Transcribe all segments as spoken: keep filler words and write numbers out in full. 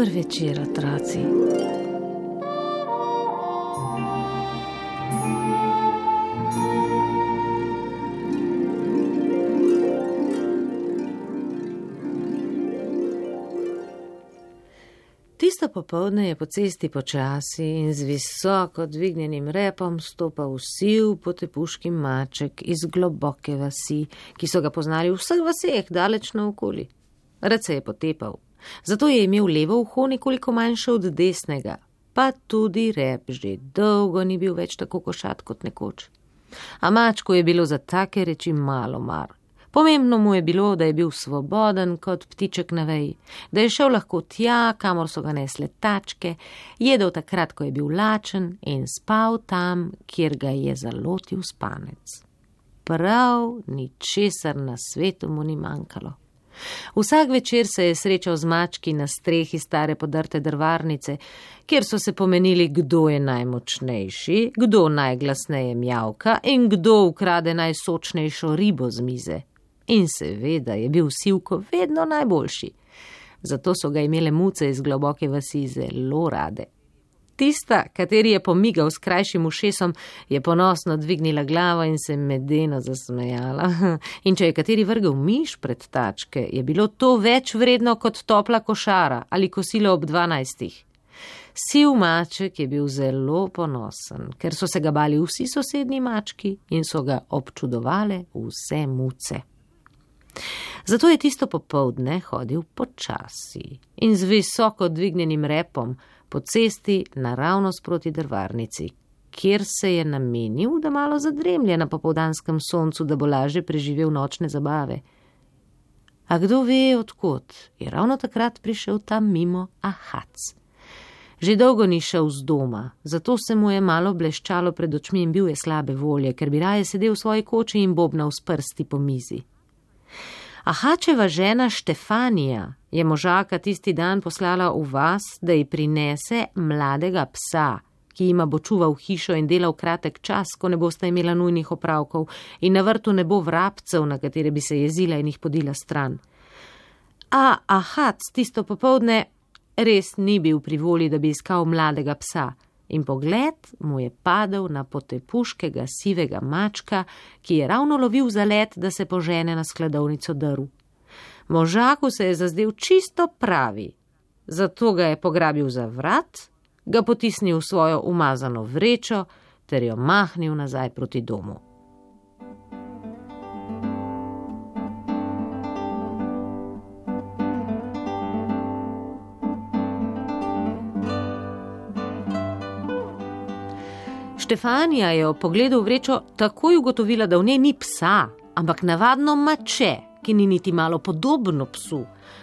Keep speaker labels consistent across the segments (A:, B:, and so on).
A: Dober večer, otroci. Tisto popoldne je po cesti počasi in z visoko dvignjenim repom stopal siv potepuški maček iz globoke vasi, ki so ga poznali v vseh vaseh daleč naokoli. Rad se je potepal, zato je imel levo uho nekoliko manjše od desnega, pa tudi rep že dolgo ni bil več tako košat kot nekoč. A mačku je bilo za take reči malo mar. Pomembno mu je bilo, da je bil svoboden kot ptiček na veji, da je šel lahko tja, kamor so ga nesle tačke, jedel takrat, ko je bil lačen in spal tam, kjer ga je zalotil spanec. Prav ničesar na svetu mu ni manjkalo. Vsak večer se je srečal z mački na strehi stare podrte drvarnice, kjer so se pomenili, kdo je najmočnejši, kdo najglasneje mjavka in kdo ukrade najsočnejšo ribo z mize. In seveda je bil Sivko vedno najboljši. Zato so ga imele muce iz globoke vasi zelo rade. Tista, kateri je pomigal s krajšim ušesom, je ponosno dvignila glavo in se medeno zasmejala. In če je kateri vrgel miš pred tačke, je bilo to več vredno kot topla košara ali kosilo ob dvanajstih. Siv maček je bil zelo ponosen, ker so se ga bali vsi sosednji mački in so ga občudovale vse muce. Zato je tisto popoldne hodil počasi in z visoko dvignjenim repom po cesti naravnost proti drvarnici, kjer se je namenil, da malo zadremlje na popoldanskem soncu, da bo lažje preživel nočne zabave. A kdo ve odkot, je ravno takrat prišel tam mimo Ahac. Že dolgo ni šel z doma, zato se mu je malo bleščalo pred očmi in bil je slabe volje, ker bi raje sedel v svoji koči in bobnal s prsti po mizi. Ahačeva žena Štefanija je možaka tisti dan poslala v vas, da ji prinese mladega psa, ki jima bo čuval hišo in delal kratek čas, ko ne bosta imela nujnih opravkov in na vrtu ne bo vrabcev, na katere bi se jezila in jih podila stran. A Ahac tisto popoldne res ni bil pri volji, da bi iskal mladega psa, in pogled mu je padel na potepuškega sivega mačka, ki je ravno lovil za let, da se požene na skladovnico drv. Možaku se je zazdel čisto pravi, zato ga je pograbil za vrat, ga potisnil v svojo umazano vrečo ter jo mahnil nazaj proti domu. Štefanija je ob pogledu v vrečo takoj ugotovila, da v njej ni psa, ampak navadno mače, ki ni niti malo podobno psu.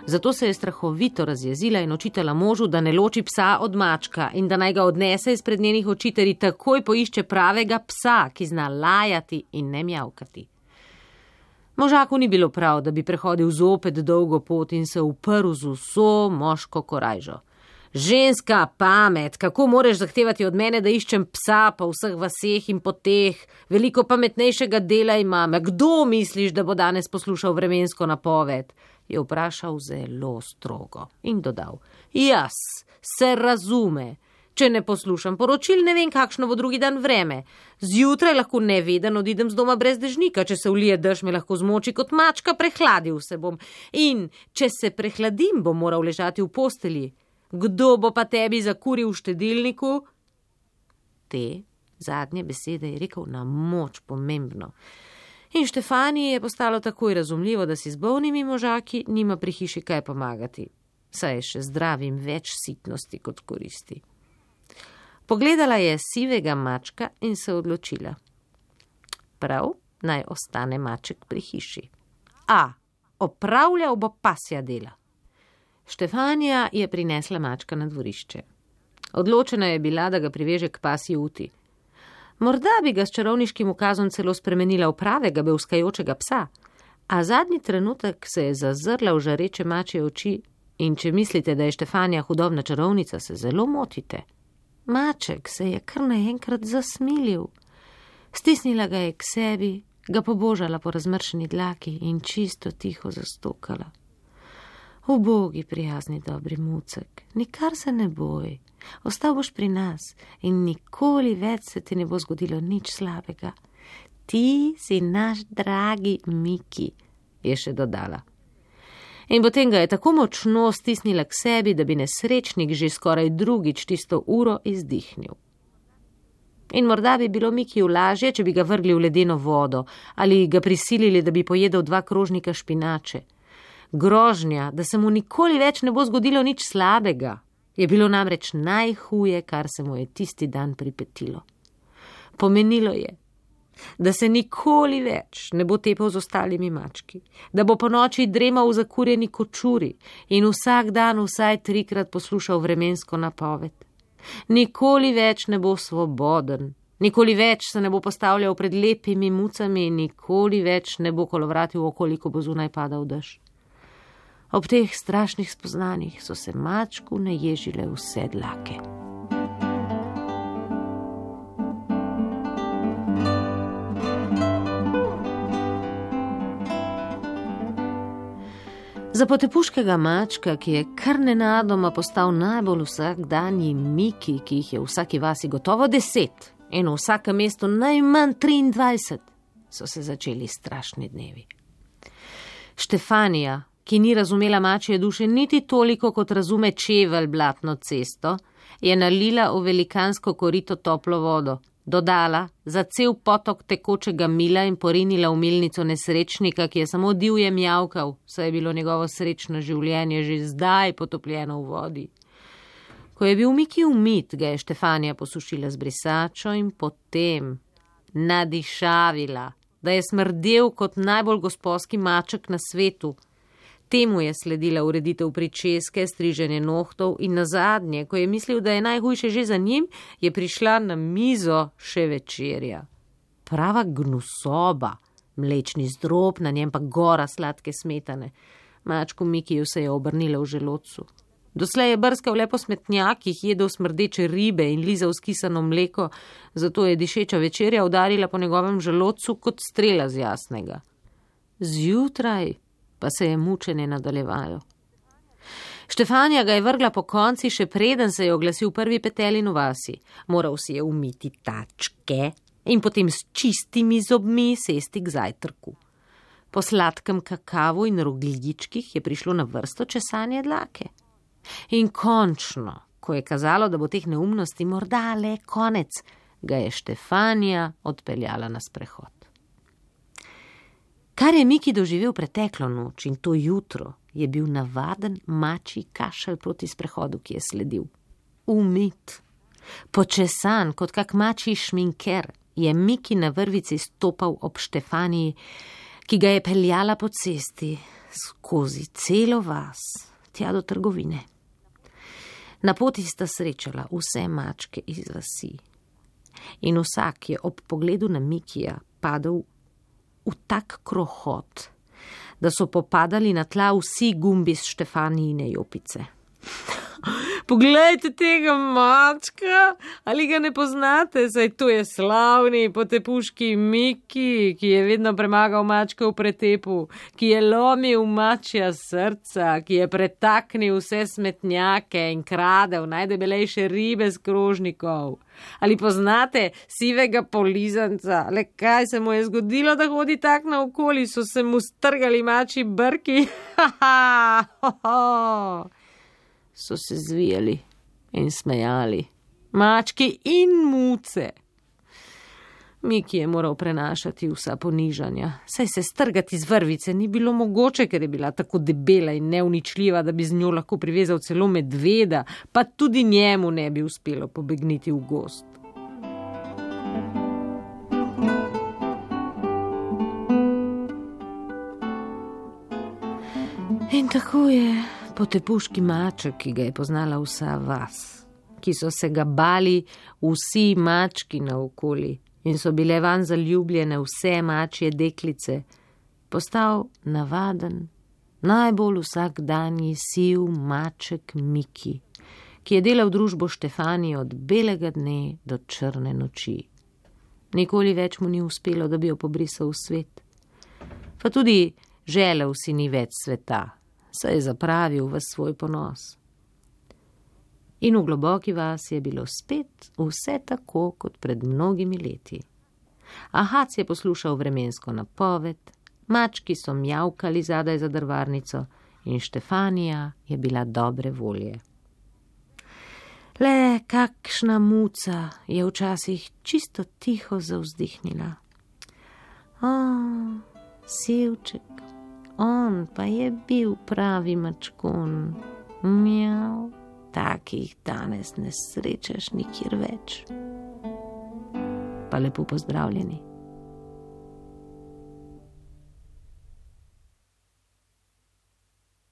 A: Zato se je strahovito razjezila in očitala možu, da ne loči psa od mačka in da naj ga odnese izpred njenih oči ter takoj poišče pravega psa, ki zna lajati in ne mjavkati. Možaku ni bilo prav, da bi prehodil zopet dolgo pot in se uprl z vso moško korajžo. Ženska pamet, kako moreš zahtevati od mene, da iščem psa po vseh vaseh in poteh, veliko pametnejšega dela imam. Kdo misliš, da bo danes poslušal vremensko napoved? Je vprašal zelo strogo in dodal, jaz se razume. Če ne poslušam poročil, ne vem, kakšno bo drugi dan vreme. Zjutraj lahko neveden odidem z doma brez dežnika, če se vlije dež, me lahko zmoči kot mačka, prehladil se bom. In če se prehladim, bom moral ležati v postelji. Kdo bo pa tebi zakuril v štedilniku? Te zadnje besede je rekel na moč pomembno. In Štefaniji je postalo takoj razumljivo, da si z bolnimi možaki nima pri hiši kaj pomagati. Saj je še zdravim več sitnosti kot koristi. Pogledala je sivega mačka in se odločila. Prav, naj ostane maček pri hiši. A, opravljal bo pasja dela. Štefanija je prinesla mačka na dvorišče. Odločena je bila, da ga priveže k pasji uti. Morda bi ga s čarovniškim ukazom celo spremenila v pravega bevskajočega psa, a zadnji trenutek se je zazrla v žareče mačje oči in če mislite, da je Štefanija hudobna čarovnica, se zelo motite. Maček se je kar naenkrat zasmilil. Stisnila ga je k sebi, ga pobožala po razmršeni dlaki in čisto tiho zastokala. Ubogi, prijazni, dobri mucek, nikar se ne boj, ostal boš pri nas in nikoli več se ti ne bo zgodilo nič slabega. Ti si naš dragi Miki, je še dodala. In potem ga je tako močno stisnila k sebi, da bi nesrečnik že skoraj drugič tisto uro izdihnil. In morda bi bilo Mikiju lažje, če bi ga vrgli v ledeno vodo ali ga prisilili, da bi pojedel dva krožnika špinače. Grožnja, da se mu nikoli več ne bo zgodilo nič slabega, je bilo namreč najhuje, kar se mu je tisti dan pripetilo. Pomenilo je, da se nikoli več ne bo tepal z ostalimi mački, da bo po noči dremal v zakurjeni kočuri in vsak dan vsaj trikrat poslušal vremensko napoved. Nikoli več ne bo svoboden, nikoli več se ne bo postavljal pred lepimi mucami in nikoli več ne bo kolovratil okoli, ko bo zunaj padal dež. Ob teh strašnih spoznanjih so se mačku naježile vse dlake. Za potepuškega mačka, ki je kar nenadoma postal najbolj vsakdanji Miki, ki jih je v vsaki vasi gotovo deset in v vsakem mestu najmanj triindvajset, so se začeli strašni dnevi. Štefanija, ki ni razumela mačje duše niti toliko, kot razume čevelj blatno cesto, je nalila v velikansko korito toplo vodo, dodala za cel potok tekočega mila in porinila v milnico nesrečnika, ki je samo divje mjavkal, saj je bilo njegovo srečno življenje že zdaj potopljeno v vodi. Ko je bil Miki umit, ga je Štefanija posušila z brisačo in potem nadišavila, da je smrdel kot najbolj gospodski maček na svetu. Temu je sledila ureditev pričeske, striženje nohtov in nazadnje, ko je mislil, da je najhujše že za njim, je prišla na mizo še večerja. Prava gnusoba, mlečni zdrob, na njem pa gora sladke smetane. Mačku Mikiju se je obrnila v želodcu. Doslej je brskal le po smetnjakih, jedel smrdeče ribe in lizal skisano mleko, zato je dišeča večerja udarila po njegovem želodcu kot strela z jasnega. Zjutraj pa se je mučenje nadaljevalo. Štefanija ga je vrgla po konci, še preden se je oglasil prvi petelin v vasi. Moral si je umiti tačke in potem s čistimi zobmi sesti k zajtrku. Po sladkem kakavu in rogljičkih je prišlo na vrsto česanje dlake. In končno, ko je kazalo, da bo teh neumnosti morda le konec, ga je Štefanija odpeljala na sprehod. Kar je Miki doživel preteklo noč in to jutro, je bil navaden mačji kašelj proti sprehodu, ki je sledil. Umit, počesan kot kak mačji šminker, je Miki na vrvici stopal ob Štefaniji, ki ga je peljala po cesti skozi celo vas, tja do trgovine. Na poti sta srečala vse mačke iz vasi in vsak je ob pogledu na Mikija padel v tak krohot, da so popadali na tla vsi gumbi s Štefanijine jopice. Poglejte tega mačka, ali ga ne poznate, saj to je slavni potepuški Miki, ki je vedno premagal mačke v pretepu, ki je lomil mačja srca, ki je pretaknil vse smetnjake in kradel najdebelejše ribe z krožnikov. Ali poznate sivega polizanca, le kaj se mu je zgodilo, da hodi tak naokoli, so se mu strgali mačji brki, ha ha, ho ho. So se zvijali in smejali, mački in muce. Miki je moral prenašati vsa ponižanja, saj se strgati z vrvice ni bilo mogoče, ker je bila tako debela in neuničljiva, da bi z njo lahko privezal celo medveda, pa tudi njemu ne bi uspelo pobegniti v gozd. In tako je potepuški maček, ki ga je poznala vsa vas, ki so se ga bali vsi mački naokoli in so bile van zaljubljene vse mačje deklice, postal navaden, najbolj vsakdanji siv maček Miki, ki je delal družbo Štefaniji od belega dne do črne noči. Nikoli več mu ni uspelo, da bi jo pobrisal v svet. Pa tudi želel si ni več sveta, se je zapravil v svoj ponos. In v globoki vasi je bilo spet vse tako, kot pred mnogimi leti. Ahac je poslušal vremensko napoved, mački so mjavkali zadaj za drvarnico in Štefanija je bila dobre volje. Le kakšna muca je včasih čisto tiho zavzdihnila. O, Sivček, on pa je bil pravi mačkon. Mjav, takih danes ne srečaš nikjer več. Pa lepo pozdravljeni.